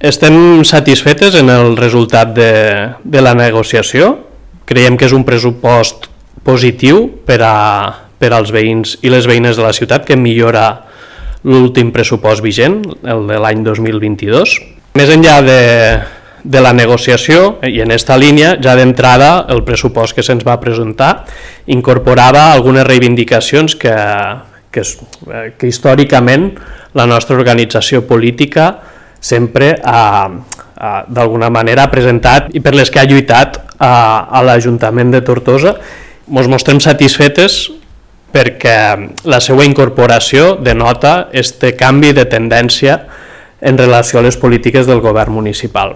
Estem satisfetes en el resultat de la negociació. Creiem que és un pressupost positiu per als veïns i les veïnes de la ciutat, que millora l'últim pressupost vigent, el de l'any 2022. Més enllà de la negociació, i en aquesta línia, ja d'entrada el pressupost que se'ns va presentar incorporava algunes reivindicacions que històricament la nostra organització política sempre d'alguna manera ha presentat i per les que ha lluitat a l'Ajuntament de Tortosa. Ens mostrem satisfetes perquè la seva incorporació denota este canvi de tendència en relació a les polítiques del govern municipal.